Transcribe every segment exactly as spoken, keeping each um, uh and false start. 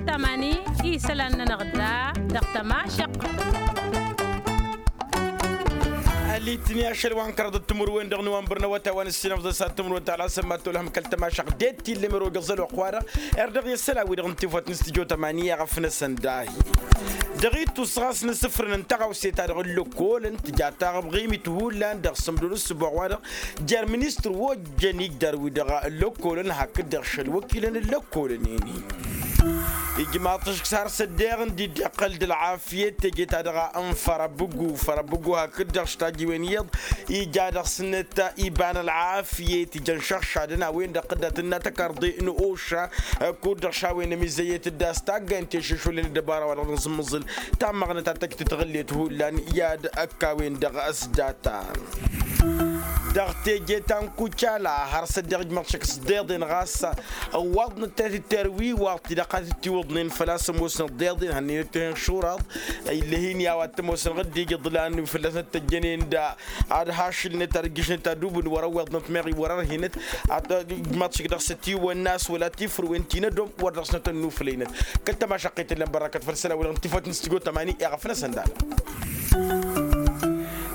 Tămani isălan-nănăɣ da dăɣ-tămašăqq. Ălitni ašăl wa n-kăraḍăt timǝrwen dăɣ-nowănbăr n-awătay wa n-ǝssinăfḍ s-ad-timǝrwen ta lasăn ma tolhăm kăl-tămašăqq det tillăm erogăẓăl oqq-wa-dăɣ. Erdăɣ i-ăssălan-wi-dăɣ n-tifăt n-stujo tămani i-aɣăf-năsăn dahi. Dăɣ-ittus ɣas nǝsǝfrǝnăn taɣawse ta dăɣ-ǝllăkkolăn tǝja taɣăbɣimit hullan dăɣ-sǝmdun ǝssǝboɣ-wa-dăɣ jer-ministăr wa ojjăn igdar-wi-dăɣ ǝllăkkolăn hakd-dăɣ šăl wăkilăn ǝllăkkolăn-en-in. Ijmaḍ-t ǝšk s-har s-ăddeɣ ǝndi dd-iqqăl d-ălɣafyăt teje ta dăɣ-a n-fărăbǝgu fărăbǝgu hakd-dăɣ s-tajiwen iyyăḍ ija dăɣ-snăt iba n-ălɣafyăt ijăn šăɣšadăn a-wen-dăɣ tǝdda tǝnna tăkarḍe n-oša. Kud-dăɣ šawen ămizăyyăt d-a-s taggayăn tešešolăn d-ăbara wa dăɣ-nǝẓǝmmǝẓǝl tammăɣnăt ad-tăj tǝtɣǝllet hullan i-ad-ăkk a-wen-dăɣ s-data. Dăɣ-teje ta n-kucala har s-ăddeɣ ijmăḍ šăkk s-deḍen ɣas ăwwaḍnăt tetǝtter wi iwaḍ tidăɣ ad-tǝttiwǝḍnen făl-a-s ămoosnăt deḍen hănnenăt-ten šuraḍ. Ill'-e hin-i a-wa t-ămoosnăɣ dd-ija iḍlan wi fălla-snăt tăjjănen da ad-hašǝlnăt ad-ǝjjǝšnăt ad-ubǝn wăr-ăwweḍnăt meɣ iwăr-ărhinăt. Ad-ijmaḍ šăkk dăɣ-s ătiwănna a-s wăla tifrǝwen ti n-ădom wăr dăɣ-snăt ănnuflăynăt. Kăl-tămašăqqet ǝllan bărrăkăt făll-isălan wi-dăɣ n-tifăt n-stujo tămani i-aɣăf-năsăn dal-a.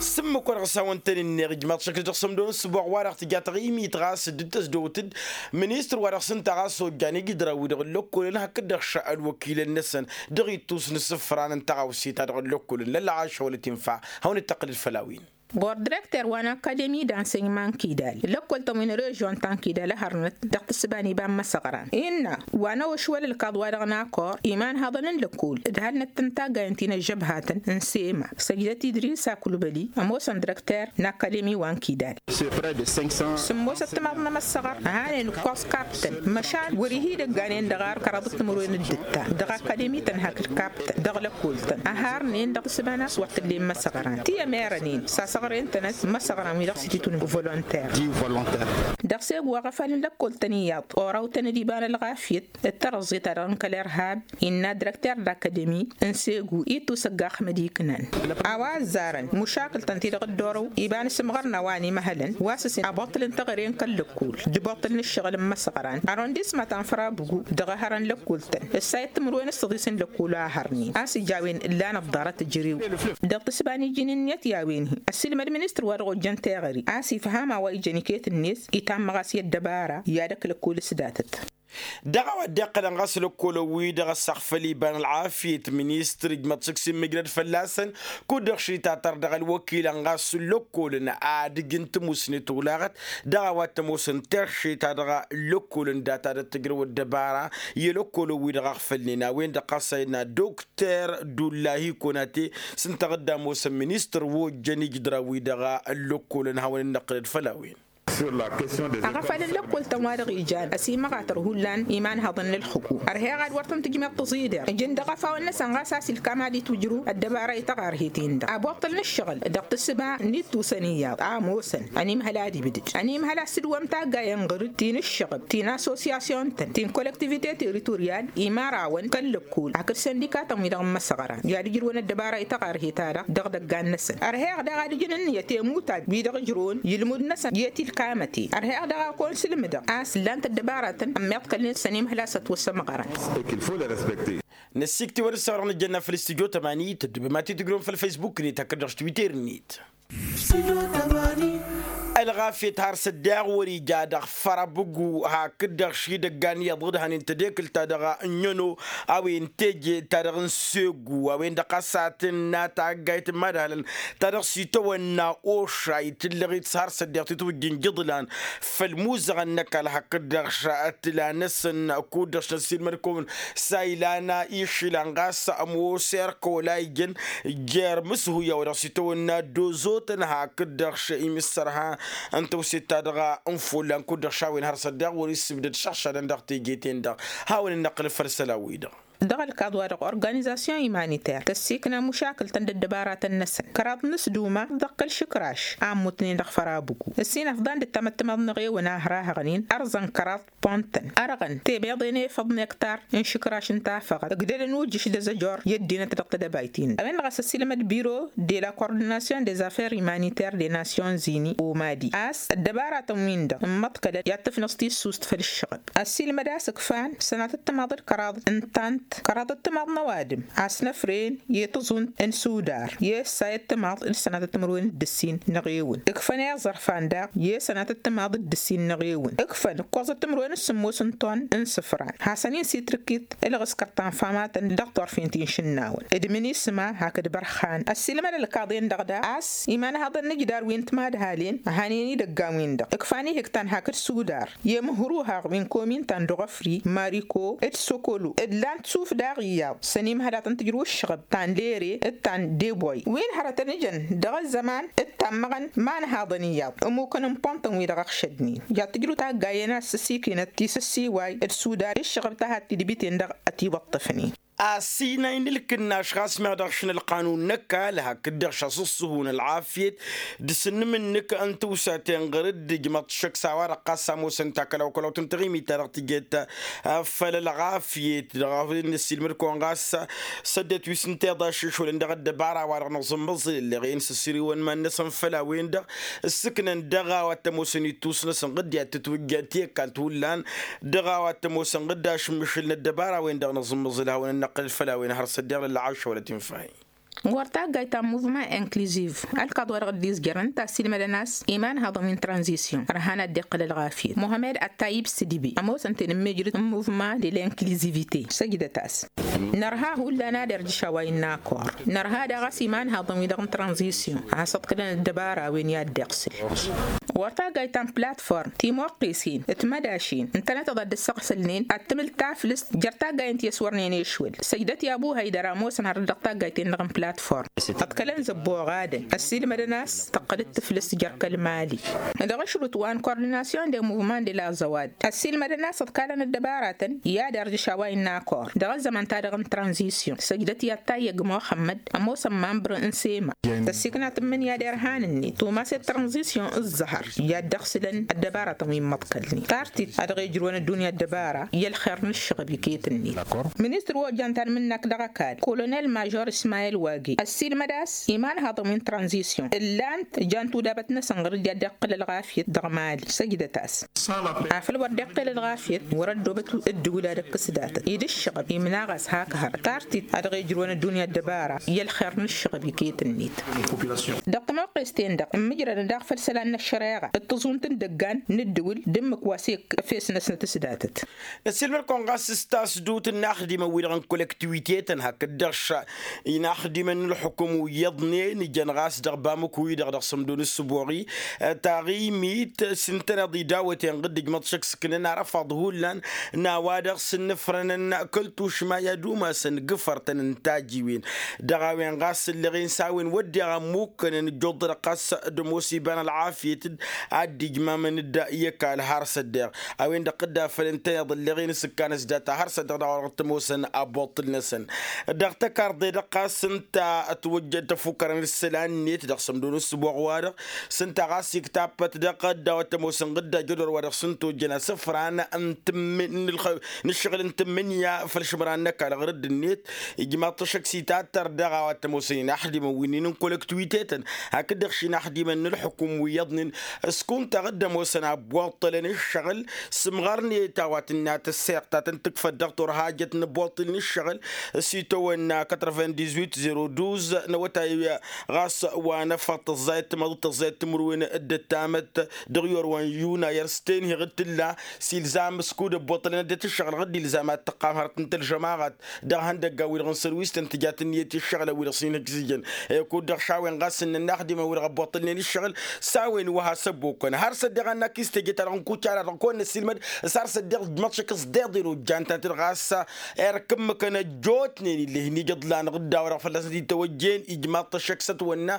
S-ǝmmǝk wa dăɣ-s hawăn-tăn-ǝnneɣ ijmaḍ šăkk dăɣ-sămdon s-ăboɣ wa dăɣ-tǝja taɣimit ɣas dd-tăsdăwt-dd ministăr wa dăɣ-s ǝnta ɣas ojjan ijǝdran-wi-dăɣ ǝllăkkolăn hakd-dăɣ šăl wăkilăn-năsăn. Dăɣ-ittus n-asǝfran n-taɣawse ta dăɣ-ăllăkkolăn lălɣašăwălăt infa hawăn-dd-tăqqǝlăd făll-a-wen. Ɣur-direkter wa n-akademi d-ansăyman kidal ǝllăkkol-tăn wi n-režion ta n-kidal ăhărnăt dăɣ-tǝssǝba n-iba n-imăsăɣran innă wa n-awăšwăl ǝlkaḍ-wa-dăɣ n-akor iman haḍăn n-lăkkol d-halnăt tǝnta gayăn ti n-ăžžăbhatăn n-sema săjdăt idris akulbăli ămoosăn direkter n-akademi wa n-kidal. Sǝmmosăt timaḍ n-imăsăɣran ăhanen ǝkkoẓ kaptăn măšan wăr-ihi d-ăgganen dăɣ-ar kăraḍăt timǝrwen d-ǝtta dăɣ-akademi-tăn hakd kaptăn dăɣ-lăkkol-tăn ăharnen dăɣ-tǝssǝba n-a-s wăr t-ǝllen imăsăɣran ti ămerănen sasăɣren-tănăt imăsăɣran wi dăɣ-s ititun volonter. Dăɣ-segu aɣăfal n-lăkkol-tăn iyyăḍ oraw-tăn d-iba n-ălɣafyăt d-tărăẓẓe-ta-dăɣ n-kăl-irhab innă direkter d-akademi n-segu ittus ăgg-axmăd iknan. A-wa ăzzarăn mušakǝl-tăn ti-dăɣ dd-orăw iba n-asǝmɣăr n-a-wa n-imăhălăn wa s-ǝssin aboṭṭăl n-teɣăre n-kăl-lăkkol d-iboṭṭăl n-ǝššăɣǝl n-imăsăɣran arrondisma ta n-fărabǝgu dăɣ-ehărăn lăkkol-tăn ǝssayăt timǝrwen s-tăḍis n-lăkkol a hărnen a-s ija a-wen ǝllan ăḍḍarăt ǝjrew. Dăɣ-tǝssǝba n-iji n-ǝnniyăt i-a-wen-hi ăssiilmăd ministăr wa dăɣ-ojjăn teɣăre a-s ifham a-wa ijăn iket-net itammăɣ a-s i-ăddăbara i-ad-ăkk lăkkol s-datăt. Dăɣ-a-wa dd-iqqălăn ɣas lăkkolăn-wi-dăɣ ăssaɣfăl iba n-ălɣafyăt ministăr ǝjmăḍ šik s-immǝjrăd fălla-săn kud-dăɣ šitătăr dăɣ-ălwăkilăn ɣas lăkkolăn ad-ǝjǝn tămusnet olaɣăt. Dăɣ-a-wa t-ămoosăn terše-ta-dăɣ lăkkolăn data d-ăttăjrăw ăddăbara i-lăkkolăn-wi-dăɣ ăɣfălnen a-wen-dăɣ ɣas a innă dokter dullahi konate s-ǝnta ad-ămoosăn ministăr wa ojjăn ijǝdran-wi-dăɣ. Lăkkolăn hawăn-dd-năqqǝlăd făll-a-wen. Aɣăfal n-lăkkol-tăn wa dăɣ-ijan ăsimăɣatăr hullan imanhăḍăn n-ǝlxǝku ărheɣ ad-wăr tăn-tǝjmeḍ tăẓider ǝjǝn dăɣ-afawăn-năsăn ɣas a-s ilkam ad-itwǝjrǝw ăddăbara ităɣarhet-in-dăɣ aboṭṭăl n-ǝššăɣǝl. Dăɣ-tǝssǝba n-ittusăn iyyăḍ a ămoosăn ănimhăl ad-ibdǝd ănimhăl a-s tǝdwăm taggayăn ɣǝr-dd ti n-ǝššăɣǝb ti n-assosyasyon-tăn ti n-kollektivite teritorial imărawăn kăl-lăkkol hakd săndika-tăn wi-dăɣ n-imăsăɣran i-ad-ǝjrǝwăn ăddăbara ităɣarhet-ta-dăɣ dăɣ-idăggan-năsăn. Ărheɣ daɣ ad-ǝjǝn ǝnniyăt i-imutaj wi-dăɣ ǝjrǝwăn i-ǝlmud-năsăn i-tilkamăte ărheɣ daɣ a kăwăn-sǝlmǝdăɣ a-s ǝllan-t ăddăbaratăn ămmiḍkălnen s-ănimhăl a-s ătwăssămɣărăn. Năssikt'-i wăr-dd-săwrăɣ nǝjjănna făll-istudyo tămani tǝddǝbăm ad-t-tǝjrǝwăm făll-faysbuk-net hakd-dăɣ s-twitter-net. Ălɣafyăt har s-ăddeɣ wăr-ija dăɣ-fărăbǝgu hakd-dăɣ šidăggan iyyăḍ d-hănen tadekǝlt-ta-dăɣ n-ănno a-wen teje ta dăɣ-n segu a-wen-dăɣ a-s ad-tǝnna taggayt n-imadhalăn ta dăɣ-s itawănna oša itǝllăɣ-it s-har s-ăddeɣ titwǝjjǝn jǝḍlan făll-imuzăɣăn n-ăkall hakd-dăɣ tǝla-năsăn kud-dăɣ s-năssiilmăd-kăwăn s-a ilan išilan ɣas ămoos erk wăla ijăn jer-imǝshuy a-wa dăɣ-s itawănna ăddoozotăn hakd-dăɣ imǝssărha n-tawset-ta-dăɣ n-follan kud-dăɣ šawen har s-ăddeɣ wăr-issǝbdăd šăɣšadăn dăɣ-teje-ten-dăɣ. Hawăn-dd-năqqǝlăd făll-isălan-wi-dăɣ. Dăɣ-ălkaḍ-wa-dăɣ organizasyon imaniter tăssikna mušakǝl-tăn d-ăddăbaratăn-năsăn kăraḍ n-asduma dăɣ-kăl-išǝkraš a ămmutnen dăɣ-fărabǝgu ǝssin afḍăn dd-tamăttămaḍ n-eɣewăn a hărahăɣnen ărzăn kăraḍ pont-tăn ărɣăn tebeḍe n-efăḍ n-ektar n-išǝkraš n-tafăɣăt ǝgdălăn ujǝš d-azăjor i-ăddinăt dăɣ-tedăbayt-in-dăɣ a-wen-dăɣ a-s ăssiilmăd biro de la coordinasyon des affaires imaniter des nasyons unis omadi a-s ăddăbaratăn-win-dăɣ ǝmmăḍkălăn i-ad-tǝfnăẓ tissust făll-ǝššăɣǝb ăssiilmăd a-s ǝkfan sănatăt timaḍ d-kăraḍ n-tant kăraḍăt timaḍ n-ăwadǝm a-s năfren i-tǝẓunt n-sudar i-ăssayăt timaḍ d-sănatăt timǝrwen d-ǝssin n-eɣewǝn. Ǝkfăn iẓărfan daɣ i-sănatăt timaḍ d-ǝssin n-eɣewǝn. Ǝkfăn ǝkkoẓăt timǝrwen s-sǝmmos n-ton n-isǝfran hasăn-in s-itrǝkkit ǝlɣǝskăr ta n-famatăn dăɣ-turfen ti n-išǝnnawăn d-minisma hakd bărxan. Ăssiilmăd ălkaḍen-dăɣ daɣ a-s imanhaḍăn n-ǝjdar wi n-timadhalen ăhanen idăggan-win-dăɣ ǝkfan ihǝktan hakd sudar i-imǝhruhaɣ wi n-komintan d-oɣăfri mariko d-sokolo d-lan tisuf daɣ iyyăḍ s-ănimhălat n-tǝjrǝw ǝššăɣăb ta n-lere d-ta n-deboy wi n-hărătăn ǝjăn dăɣ-ăzzăman d-tammăɣăn imanhaḍăn iyyăḍ ămmukăn n-păntăn-wi-dăɣ ăɣšădnen. Jat tǝjrǝw taggayen a-s s-ikinăt tisǝssiway d-sudar ǝššăɣăb ta had-tidbiten-dăɣ ătiwăṭṭăfnen. Asinay n-ǝlkǝnnaš ɣas meɣ dăɣ-ašăl n-ălqanun n-ăkall hakd-dăɣ šăṣṣuhun ălɣafyăt d-asǝnnǝm-nǝk n-tiwsaten ɣur-dd ǝjmăḍ-t šăkk s-a-wa-dăɣ ɣas ămoosăn takălawkălawt n-taɣimit-ta-dăɣ tǝjet făll-ălɣafyăt dăɣ-a-wen năssiilmăd-kăwăn ɣas s-ăddinăt wi s-ǝnta iḍaššăšwălăn dăɣ-ăddăbara-wa-dăɣ nǝẓǝmmăẓǝl ǝlleɣ-en s-ăssirǝwăn iman-năsăn făll-a-wen-dăɣ ǝssǝknăn dăɣ-a-wa t-ămoosăn ittus-năsăn ɣǝddi ad-tǝtwǝjja ti ăkall ti hullan dăɣ-a-wa t-ămoosăn ɣǝdda ašǝmmǝšǝl n-ăddăbara-wen-dăɣ nǝẓǝmmǝẓǝl hawăn-ănnăqqǝlăd făll-a-wen har s-ăddiɣ lălɣaššăwălăt infahi. Ɣur-taggayt ta n-muvman inkliziv ălkaḍ-wa-dăɣ dd-izjărăn ǝnta ăssiilmădăn a-s imanhaḍăn wi n-tranzisyon ărhan ad-dd-iqqǝl ălɣafyăt muhammed ăttayib s-dibi ămoosăn-ten n-mejrăd n-muvman de l'inklizivite săjdăt-as. Nărha hullan ad-irjǝš a-wa innă akor nărha daɣ a-s imanhaḍăn-wi-dăɣ n-tranzisyon a has-ǝḍkǝlăn ăddăbara a-wen i-ad-dd-iɣsǝl. Wăr taggayt ta n-platform timoqqesen d-timădašin ǝntănăteḍ ad-dd-ăssăɣsǝlnen ad-tǝmǝl taflǝst jer-taggayen ti ăswărnen ešwăl săjdăt i-abu haydăr a ămoosăn hărăt dăɣ-taggayten-dăɣ n-platform. Ăḍkălăn zăbboɣadăn ăssiilmădăn a-s tăqqăl d-tǝflǝst jer-kăl-mali. Dăɣ-ašrut wa n-kordinasyon de muvman de la zăwad ăssiilmădăn a-s ăḍkalăn ăddăbaratăn i-ad-irjǝš a-wa innă akor dăɣ-ăzzăman-ta-dăɣ n-tranzisyon săjdăt i-ad-tayyăg muxămmăd ămoosăn mambăr n-sema. Tăssikna tǝmmǝnǝya d-irhan-net tumas i-tranzisyon ǝẓẓăhăr i-ad-dd-ăɣsǝlăn ăddăbaratăn wi n-imăḍkălnen tartit a dăɣ-ejrǝwăn ăddunya ăddăbara i-ălxer n-ǝššăɣăb iket-net. Ministăr wa ojjan tanmǝnnakt dăɣ-ăkall kolonel mažor ismayel wagi ăssiilmăd a-s imanhaḍăn wi n-tranzisyon ǝllan-t jan tudabăt-năsăn ɣur-dd i-ad-dd-iqqǝl ălɣafyăt dăɣ-mali săjdăt-as. Afăl wăr dd-iqqǝl ălɣafyăt wăr-ăddoobăt ǝddǝwǝl ad-ǝkkǝs datăt-i d-ǝššăɣăb imnaɣ-as hak hărăt tartit a dăɣ-ejrǝwăn ăddunya ăddăbara i-ălxer n-ǝššăɣăb iket-net. Dăɣ-timoqqes-ten-dăɣ ǝmmǝjrădăn daɣ făll-isălan n-ăššăreɣa d-tǝẓunt n-idăggan n-ǝddǝwǝl d-ǝmmǝk wa s-efes-năsnăt s-datăt. Năssiilmăd-kăwăn ɣas s-tasdut n-inaxdimăn-wi-dăɣ n-kolăktiwitetăn hakd-dăɣ inaxdimăn n-ǝlxǝkǝm wi iyyăḍnen ijăn ɣas dăɣ-bamǝku-i-dăɣ dăɣ-sămdo n-ǝssǝboɣi taɣimit s-ǝntăneḍ idawăten ɣǝdd ǝjmăḍ šăkk s-ǝknăn arăfaḍ hullan n-a-wa-dăɣ s-ǝnnǝfrănăn kăl-tušma i-ad-umasăn gǝfărtăn n-tajiwen dăɣ-a-wen ɣas ǝlleɣ-in s-a-wen wădden ămmukkănăn ǝjjuḍ-dăɣ ɣas d-ămoos iba n-ălɣafyăt-dd ad-dd-ijmamăn-dd i-ăkall har s-ăddeɣ a-wen-dăɣ dd-afăl ǝntăneḍ ǝlleɣ-in s-ǝkkan s-data har s-ăddeɣ dăɣ-a-wa-dăɣ t-ămoosăn abuṭṭǝl-năsăn. Dăɣ-tăkarḍe-dăɣ ɣas ǝnta ătwăjjăd tăfukărăn isălan-net dăɣ-sămdo n-ǝssǝboɣ-wa-dăɣ s-ǝnta ɣas iktappăt dăɣ-ăddaw ad-t-ămoosăn ɣǝdda jădwăr-wa-dăɣ s-ǝnta ojjăn asǝfran n-tǝmmǝn n-ǝlxăy n-ǝššăɣǝl n-tǝmmǝnǝya făll-išmăra n-ăkall ɣur-dd-net. Ijmaḍ-t ăššăk s-itattăr dăɣ-a-wa t-ămoosăn inaxdimăn wi n-inǝnkolăktwitetăn hakd-dăɣ šinaxdimăn n-ǝlxǝkum wi iyyăḍnen s-kunta ɣǝdd ămoosăn abboṭṭălăn ǝššăɣǝl s-imɣărnet a-wa tǝnna tăsseɣt ta tăn-tǝkfăt dăɣ-turhajăt n-abboṭṭǝl n-ǝššăɣǝl s-itawănna quatre-vingt-dix-huit zéro douze n-awătay ɣas wa n-afăḍ tăẓẓayăt timăḍ d-tăẓẓayăt timǝrwen d-ăttamăt dăɣ-iwărwan yunayăr s-tenheɣ d-tǝlla s-ilzam s-kud ăbboṭṭălăn ăddinăt ǝššăɣǝl ɣǝdd ilzam ad-tǝqqam hărăt n-tălžămaɣăt dăɣ-ihăndăggan-wi-dăɣ n-sărwisăn tǝjat ǝnniyăt i-ǝššăɣǝlăn-wi-dăɣ s-inhǝjzǝjăn. I-kud-dăɣ šawen ɣas ǝnnăn inaxdimăn-wi-dăɣ ăbboṭṭălnen ǝššăɣǝl s-a-wen wa has-ăbbokkăn har s-ăddiɣ annak-i s-teje-ta-dăɣ n-kucala-dăɣ kăwăn-năssiilmăd s-har s-ăddiɣ ǝjmaḍ-t šăkk s-deḍen ojjan-ta-dăɣ ɣas erk ǝmmǝkăn ăjjootnen ill'-e hin-ijǝḍlan ɣǝdda-wa-dăɣ fălla-săn t-itawăjjen ijmaḍ-t ăššăk s-ătwănna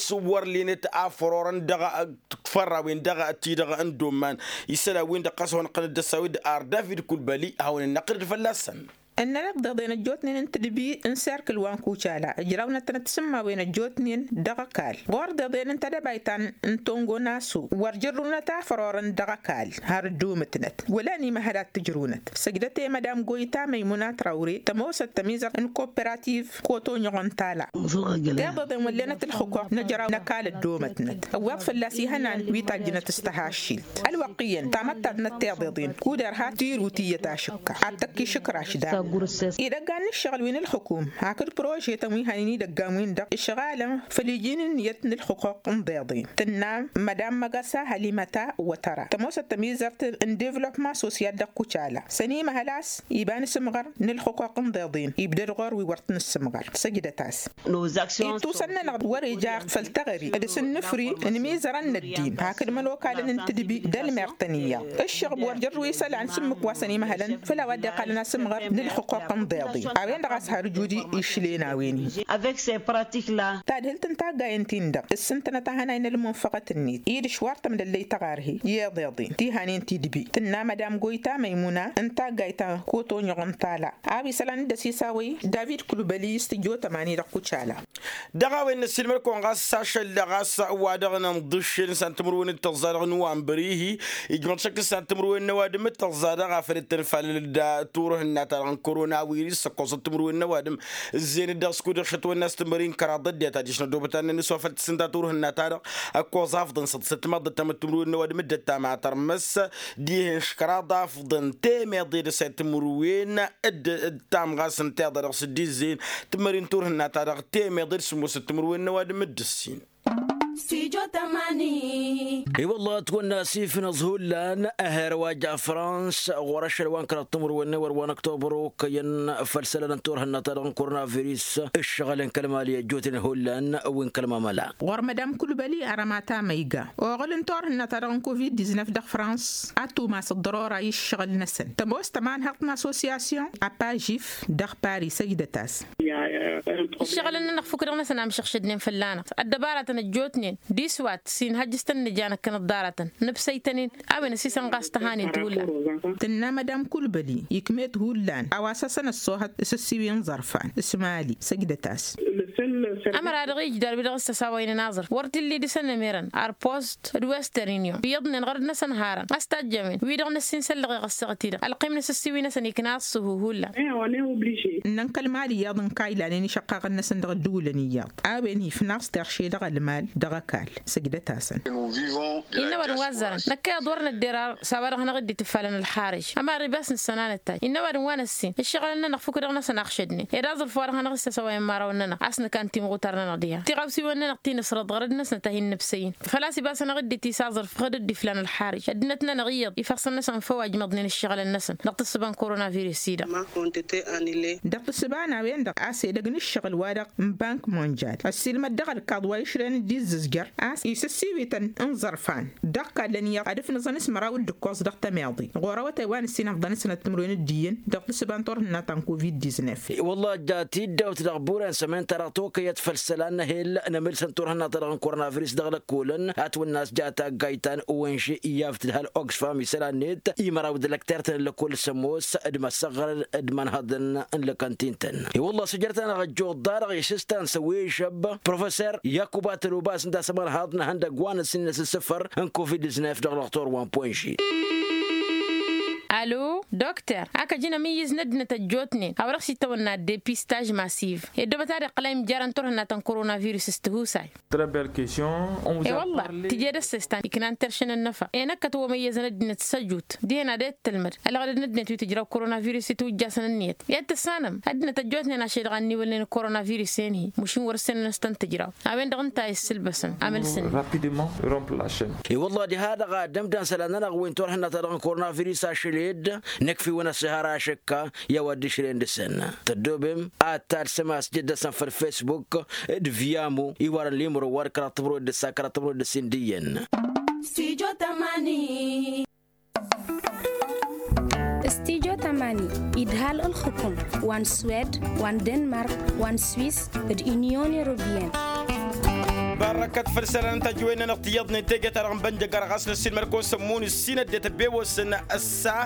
s-wăr lenăt a fărorăn dăɣ-fărra-wen-dăɣ ti-dăɣ n-domman. Isălan-win-dăɣ ɣas a hawăn-iqqălăn d-ăssawed ar david kulbali a hawăn-innăqqǝlăd fălla-săn. Ǝnnăn iḍeḍen ăjjootnen n-tǝdbi n-serkǝl wa n-kucala ǝjrawnăt-tănăt tisǝmmawen ăjjootnen dăɣ-ăkall ɣur-deḍen n-tedăbayt ta n-tongo n-aso wăr jărrǝwnăt a fărorăn dăɣ-ăkall har ăddoomǝtnăt wăla ănimăhăl ad-t-ǝjrǝwnăt. Săjdăt i-madam goyta măymuna trawre tămoosăt tămizărt n-kopperativ koto n-iɣon tala. Tiḍeḍen wăllenăt ǝlxǝkoɣ n-ejăraw n-ăkall ăddoomătnăt ăwweḍ fălla-s ihănan wi tajjǝnăt s-tăhaššilt ălwăqq iyyăn tamăttadnăt tiḍeḍen kud-irha tirut iyyăt ašǝkka ad-tăkk išǝkraš daɣ. Idăggan n-ǝššăɣǝl wi n-ǝlxǝkum hakd prožetăn wi hanin idăggan-win-dăɣ ǝšɣalăn făll-iji n-ǝnniyăt n-ǝlxǝquq n-iḍeḍen. Tǝnna madam măgasa hălimăta wătăra tămoosăt tămizărt n-devlopma sosyal dăɣ-kucala sănimăhăl a-s iba n-asǝmɣăr n-ǝlxǝquq n-iḍeḍen ibdăd ɣur-wi wăr t-nǝssǝmɣăr. Săjdăt-as. Ittusăn-nănăɣ wăr-ija făll-teɣăre d-asǝnnǝfri n-imizărăn n-ăddin hakd imănokalăn n-tǝdbi d-ălmer-tăn iyyăḍ. Ǝššăɣb wăr jărrǝw isălan s-ǝmmǝk wa săn imăhălăn făll-a-wa dd-iqqalăn asǝmɣăr n-ǝlxǝquq n-iḍeḍen a-wen-dăɣ a-s har ǝjud išlen a-wen-hi. Tadhǝlt n-taggayen-tin-dăɣ ǝssǝntănăt ahănay n-ălmunfăɣăt-net idǝš war tămdăllăy tăɣarhe i-iḍeḍen tihanen tidbi tǝnna madam goyta măymuna n-taggayt ta n-kotoñăɣ n-tala a-wa isălan dd-ăsisawăy david kulbăli s-tǝjjo tămani dăɣ-kucala. Dăɣ-a-wen n-ăssiilmăd-kăwăn ɣas ašăl ɣas wa-dăɣ n-inḍǝššel n-san timǝrwen d-tăẓẓa dăɣ-nuwamber-ihi ijmăḍ šăkk s-san timǝrwen n-ăwadǝm d-tăẓẓa dăɣ-afăl dd-tănfalăl d-turhǝnna-ta-dăɣ n-koronawiris ăkkoẓăt timǝrwen n-ăwadǝm. Ǝzzeyăn-dd dăɣ-skud ixšăt wănna s-tǝmmări n-kăraḍ ăddinăt adiš n-ăddobăt ad-nănn s-wa făl tǝssǝnta turhǝnna-ta-dăɣ ăkkoẓ afḍăn s-ăḍḍǝsăt timaḍt d-tamăttimrǝwen n-ăwadǝm dd-ăttam a tărmăs dihen š-kăraḍ afḍăn temeḍe d-ăsay timǝrwen d-ăttam ɣas ǝnta iḍa dăɣ-s dd-izzeyăn tǝmmări n-turhǝnna-ta-dăɣ temeḍe d-sǝmmosăt timǝrwen n-ăwadǝm d-ǝssin. I-wălla ătwănna asif n-aẓhullan aher wa ja frans ɣur-ašăl wa n-kăraḍ timǝrwen n-ewăr wa n-ăktobăr okăyăn făll-isălan n-turhǝnna-ta-dăɣ n-koronavirus ǝššăɣǝl n-kăl-mali ăjjootnen hullan wi n-kăl-mamăla. Ɣur-mădam kulbăli arămata ma iga oɣǝl n-turhǝnna-ta-dăɣ n-covid diznăf dăɣ-frans ad-tumas ăḍḍărora i-ǝššăɣǝl-năsăn tămoos tămanhăḍt n-assosyasyon apajif dăɣ-paris ăjdăt-as. Ǝššăɣǝlăn-nănăɣ fukk-dăɣ-năsăn amšăɣšădnen fălla-năɣ ăddăbaratăn ăjjootnen d-iswat s-inhăjjǝs-tăn n-ija năkk n-ăḍḍaratăn nǝbsăy-tăn-in a-wen ăsisănɣas tăhanen ti hullan. Tǝnna madam kulbăli ikm'-et hullan a-wa s-asăn-ăṣṣoohăt s-ǝssiwi n-iẓărfan s-mali săjdăt-as. Ămăra-dăɣ ijder wi dăɣ-s tăsawăynen aẓrǝf wăr t-illi dăɣ-săn ămerăn arpost d-western union iyyăḍnen ɣărăd-năsăn harăn a-s tajjămen wi-dăɣ n-ăssinsăllăɣ iɣăssăɣ-t-i-dăɣ ălqim-năs ăssiwi-năsăn ikna ăṣṣuhu hullan. Ǝnnăn kăl-mali iyyăḍ n-kaylanen išăqqaɣăn-năsăn dăɣ-ăddǝwǝlăn iyyăḍ a-wen ifnaẓ terše dăɣ-ălmal dăɣ-ăkall. Săjdăt-asăn. Innă ăwadǝm wa ăzzarăn năkk iyyăḍ wăr nădder ar s-a-wa-dăɣ hanăɣ-dd-itifalăn ălxarǝj ămarri bas nǝssănanăt-taj innă ăwadǝm wa n-ăssin ǝššăɣǝlăn-nănăɣ fukk dăɣ-năsăn axšădnen ed aẓrǝf wa-dăɣ hanăɣ-issăsăwăyăn imărawăn-nănăɣ a-s năkan timɣutar-nănăɣ diha tiɣawsiwăn-nănăɣ ti nǝsrăḍ ɣărăd-năsnăt a hin-nǝbsăy-in făl-a-s ibas hanăɣ-dd-itisǝḍrǝf ɣǝd dd-iflan ălxarǝj ăddinăt-nănăɣ iyyăḍ ifăɣsăn-năsăn făw a ijmăḍnen ǝššăɣǝlăn-năsăn dăɣ-tǝssǝba n-koronavirus-i-dăɣ. Dăɣ-tǝssǝba n-a-wen-dăɣ a-s edăgg n-ǝššăɣǝl-wa-dăɣ n-bank monjal ăssiilmăd dăɣ-ălkaḍ wa išrăyăn dd-izzǝzjăr a-s isǝssiwităn n-iẓărfan dăɣ-kallăn iyyăḍ ad-ǝfnǝẓăn s-măraw d-ǝkkoẓ dăɣ-tămiḍe ɣur-awătay wa n-ǝssin ăfḍăn-năsnăt timǝrwen d-iyyăn dăɣ-tǝssǝba n-turhǝnna ta n-covid-diznef. I-wălla ăjja tiddawt dăɣ-buren sămen-ta-dăɣ tokăyăt făll-isălan n-ehel n-emǝlsăn turhǝnna-ta-dăɣ n-koronavirus dăɣ-lăkkolăn a t-wănna a-s ja taggayt ta n-owănže i-a ǝftǝdhal oxfam isălan-net i-măraw d-lăkter-tăn n-lăkkol s-ămoos d-măsăɣrăd d-imanhăḍăn n-lăkăntin-tăn. I-wălla săjrăt-anăɣ ăjjoḍ-da-dăɣ i-sǝstan s-ăwwežăb professor yakuba tălobas ǝnta a-s ămărhaḍ n-ehăndăgg wa n-ăssin n-asǝssǝfăr n-covid-diznef dăɣ-lăxtor wa n-ponži. Alo dokter ak ăj inămǝyyǝz n-ăddinăt ăjjootnen a-wa dăɣ-s itawănna depistaž masiv i-ăddoobăt ad-iqqăl a imjarăn turhǝnna ta n-koronavirus s-tihusay. I-wălla tǝje d-ăssestan iknan terše n-ănnăfa enăkkăt wămăyyăzăn ăddinăt s-ăjut dihen ad-e-t tălmăd ălɣădăd n-ăddinăt wi tǝjraw koronavirus i-tǝwǝjjasăn ǝnniyăt i-ad-tǝssanăm ăddinăt ăjjootnen ašăl dăɣ-anniwălnen koronavirus-en-hi mušin wăr-ǝssenăn a-s tăn-tǝjraw. A-wen-dăɣ ǝnta a issǝlbăsăn amǝlsǝnni. I-wălla diha-dăɣ ad-ămdan isălan-nănăɣ wi n-turhǝnna-ta-dăɣ n-koronavirus ašăl-ed nǝkf'-iwăn ăssihar ašǝkka i-a-wa dd-išrăyăn dăɣ-săn tăddoobem ad-talsăm a-s jăddăsăn făll-fesbuk d-viyamu iwarăn limro wa d-kăraḍ timǝrwen d-ǝssa kăraḍ timǝrwen d-ǝssin d-iyyăn. Stijo tamani idhal ǝlxǝkum wa n-swed wa n-denmark wa n-swis d-inyon europeyăn. Barrăkăt făll-isălan n-tajǝwen-nănăɣ tiyyăḍnen teje-ta-dăɣ n-bănjăgar ɣas n-ăssiilmăd-kăwăn sămmun ǝssin ăddinăt ăbewăsăn ăssa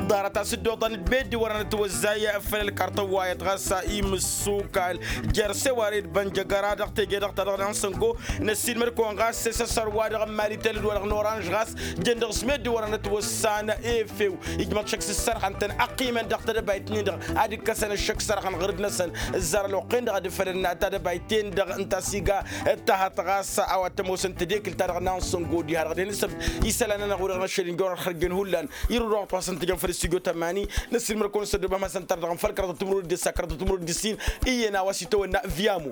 ḍarăt-as dd-oḍan d-meddǝn wărăn ătwăzzay făll-ălkartăn wa iyyăḍ ɣas imǝssukal jer-sewared bănjăgăra dăɣ-teje-dăɣ ta dăɣ-nănăɣ n-săngo. Năssiilmăd-kăwăn ɣas s-esăssăr-wa-dăɣ n-maritel d-wa-dăɣ n-oranž ɣas ǝjăn dăɣ-s meddǝn wărăn ătwăssan efew ijmăḍ šăkk s-ǝssărxăn-tăn ăqqimăn dăɣ-tedăbayt-nin-dăɣ ad-ǝkkăsăn ǝššăk sărxăn ɣǝrǝd-năsăn. Ǝzzar ălwăqq-en-dăɣ ad-ǝfălăn tadăbayt-en-dăɣ ǝnta s-iga ǝttăhăḍ. Ɣas a-wa t-ămoosăn tedekǝlt-ta-dăɣ n-ansăngo diha-dăɣ d-hin-ǝssǝb isălan-nănăɣ wi-dăɣ n-ašăl injăwăn ad-xărjăn hullan. Irǝw dăɣ-wa t-wa s-ǝntǝjăn făll-stujo tămani. Năssiilmăr-kăwăn s-ăddoobăm hasăn-tăr dăɣ-n făll-kăraḍăt timǝrwen d-ǝssa kăraḍăt timǝrwen d-ǝssin. Iyyăn a-wa s-itawănna viyamu.